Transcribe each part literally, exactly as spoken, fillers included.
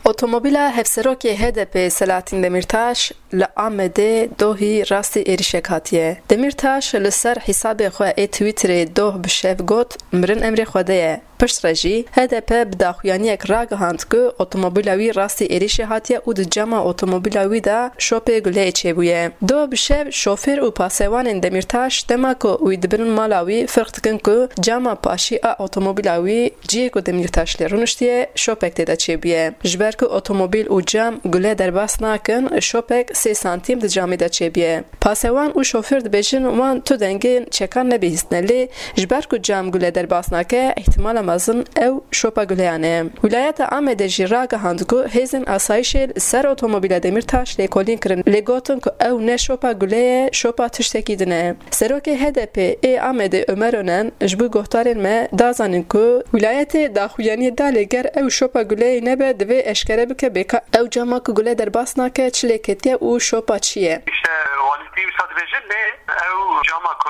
Otomobîla Hevserokê H D P Selahattin Demirtaş li Amedê dohî rastî êrişek hatiye. Demirtaş li ser hîsabê xwe ê Twitterê doh bi şev got, Mirin emrê Xwedê ye. Piştre jî H D P bi daxuyaniyek ragihand ku otomobîla wî rastî êrişê hatiye û di cama otomobîla wî de şopê guleyê çêbûye. Doh bi şev şofêr û pasewanên Demirtaş dema ku wî dibînin mala wî firq dikin ku cama paşî a otomobîla wî cihê ku Demirtaş lê rûniştiye şopek tê de çêbûye. Ji ber ku otomobîl û cam gule derbas nakin, şopek sê santîm di camê de çêbûye. Pasewan û şofêr dibêjin wan tu dengên çekan nebihîstine, lê ji ber ku cam gule derbas nake, îhtimala mezin ew şopa guleyan e. Wîlayeta Amedê jî ragihand ku hêzên asayîşê li ser otomobîla Demirtaş lêkolîn kirin, lê gotin ku ew ne şopa gule ye, şopa tiştekî din e. Serokê H D P ê Amedê Ömer Önen ji bo guhdarên me da zanîn ku wîlayetê daxuyaniyê da, lê ger ew şopa guleyê nebe, divê eşkere bike bê ka ew cama ku gule derbas nake çi lê ketiye û şopa çi ye. İşte walîtî wisa dibêje, lê ew cama ku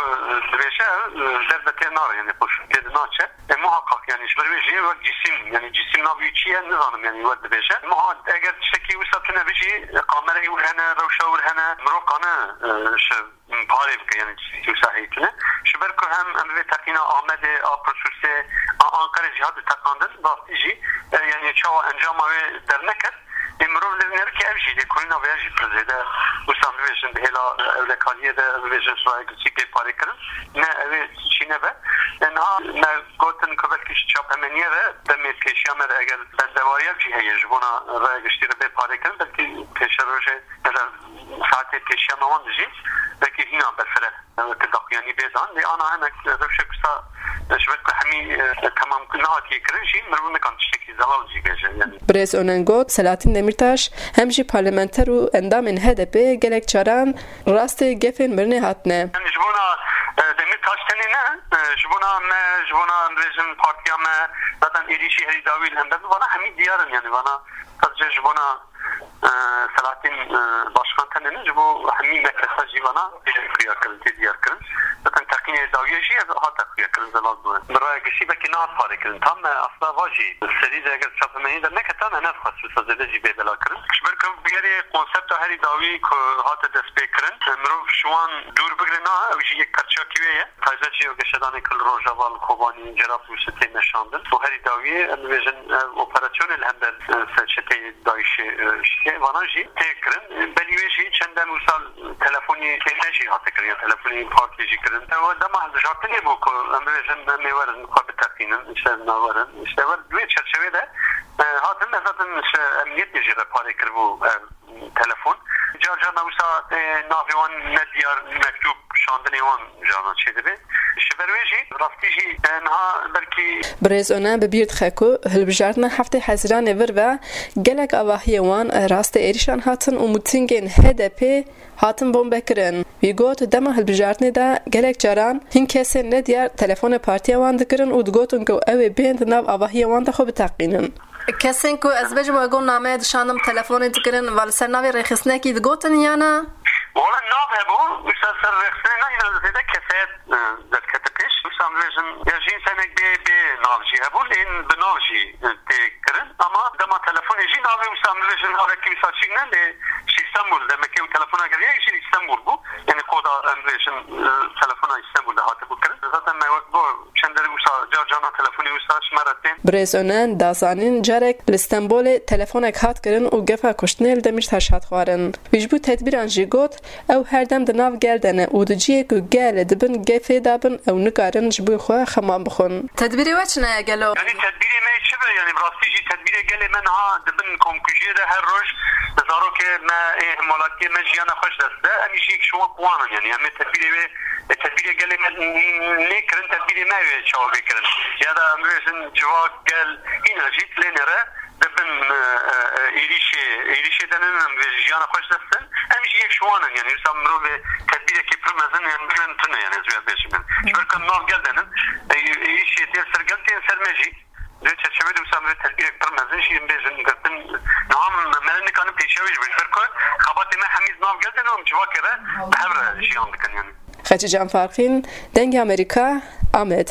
dibêje, derve tê nare, yani xweş tê naçe. E, muhakkak, yani ji ber wê jî wek cîsim, yani cîsim navê wî çi ye, nizanim, yani wek dibêje. Muha-, eger tiştekî wisa tune bijî, kamerayê wir hene, rewşa wir hene, mirov kane, e, ji parê bike, yani cîsim wisa heyî tune. Ji ber ku hem em vê teqîna Amedê, a Pirsûsê, a Anqerê jî hat teqandin, rastî jî, e, yani çawa encama wê derneket, Ê mirov li nerikê ev jî lêkolîna vê jî pir zêde, wisa em bibêjin, di hêla ewlekariyê de, em bibêjin, rayek çî bê parêkirin, ne ew ê çî nebe. Ê niha me gotin ku belkî ji çapemeniyê re demê pêşiya me re eger bendewariya jî heye ji bona raya giştî re bê parêkirin, belkî pêşerojê ya da saetê pêşiya me wan dijî belkî hîna berfireh. Weke daxuyanî bê dan, lê ana hinek rewşek wisa ji ber ku hemî, e, temam nehatiye kirin jî, mirov nikan tiştekî zelal jî bêje, yani. Birêz Önen got, Selahattin Demirtaş hem jî parlamenter û endamên H D P gelek caran rastê gefên mirinê hatine. Yani ji bona, e, Demirtaş tenê ne, e, ji bona me, ji bona em bêjin partiya me, zaten êrîşî herî dawî li hember, vana hemî diyar in, yani vana sadece ji bona e, Selahattin, e, Başkan tenê ne, ji bo hemî me kesa jî vana tê xuya kirin, tê diyar kirin. Zaten teqînê dawiyê jî ev hate xuya kirin, zelal bû. Bi raya giştî belkî nehat parê kirin. Tam me asla va jî serî de eger çapemenî de neketa me nedixwest wisa zêde jî bê bela kirin. Ji ber ku bi gerê konsepta herî dawî ku hate destpêkirin, e, mirov ji wan dûr bigire na, ew jî yek perçiyakî wê ye. Taybet jî ew geşedanê ku li Rojava, li Kobanî, Cerablusê tê meşandin. Û herî dawiyê, em dibêjin, ev operasyonê li hember, e, ser çeteyê DAIŞê, e, şikê. Vana jî tê kirin. Belî wê jî çend dem wisa telefonî tê me jî hate kirin, ya telefonî partiyê jî kirin. Ew dema hilbijartinê bû ku em bibêjin, em ê werin xwe biteqînin, işte, em werin. İşte wer, di wê çerçevê de, e, hatin, ez zaten ji emniyetê jî re parê kiribû, e, telefon. Car carna wisa, e, navê wan ne diyar, mektûb şandinê wan carna çêdibe. Ji ber wê jî, rastî jî, e, niha belkî Birêz Önen bi bîr dixe ku hilbijartina heftê Hezîranê vir ve gelek avahiyên wan rastê êrişan hatin û mîtingên H D P hatin bombekirin. Wî got, dema hilbijartinê de gelek caran hin kesên nediyar telefonê partiya wan dikirin û digotin ku ew ê bên di nav avahiyên wan de xwe biteqînin. Kesên ku ez bêjim we got nameyê dişandim, telefonê dikirin, va li ser navê rêxistinekî digotin ya na? Wala nav hebû, wisa ser rêxistinê ne, hîna zêde kesayet, e, derkete pêş. Wisa em bêjin, ya jî însanek bê, bê nav jî hebû, lê hîn bi nav jî, e, tê kirin. Ama dema telefonê jî navê wisa em bêjin navekî wisa çîk ne, lê ji Îstanbul, demekê ew telefona kiriye, jî Îstanbul bû. Yani koda em bêjin, e, telefona Îstanbul de hatibû kirin. Zaten me wek got, çend der wisa car carna telefonê wisa ji me re tên. Birêz Önen da zanîn, carek li Stenbolê telefonek hat kirin û gefa kuştinê li Demîrtaş hat xwarin. Wî ji bo tedbîran jî got, ew her dem di nav gel de ne û di cihê ku gel di bin gefê de bin, ew nikarin ji bo xwe xeman bixwin. Tedbîrê we çi ne gelo? Yani tedbîrê me çi be? Yani bi rastî jî tedbîrê gelê me niha di bin komkujiyê de her roj zarokê me ê hemwelatiyê me jiyana xwe ji dest de. Em jî yek ji wan wan in. Yani em ê tedbîrê wê, e, tedbîrê gelê me nêkirin, tedbîrê me wê çawa bê kirin. Ya da em bêjin civak, gel, hîna jî lê nêre dibin, e, e, e, êrîşê, êrîşê denin, em vê jiyana xwe ji dest din. Em jî yek ji wan in, yani wisa mirovê tedbîrekî pir mezin, yani mirin tune, yani ez vê bêjim. Ji ber ku em nav gel denin, e, êrîşê tê ser gel, tên ser me jî. Di çerçevê de wisa em vê tedbîrek pir mezin jî em bêjin girtin. Niha me ne nikarin pêşiya wê jî bê. Ji ber ku xebatê me hemî di nav gel denin û em civakê re bi hev re jiyan dikin, yani. Xecîcan Farqîn, Dengê Amerîka, Amed.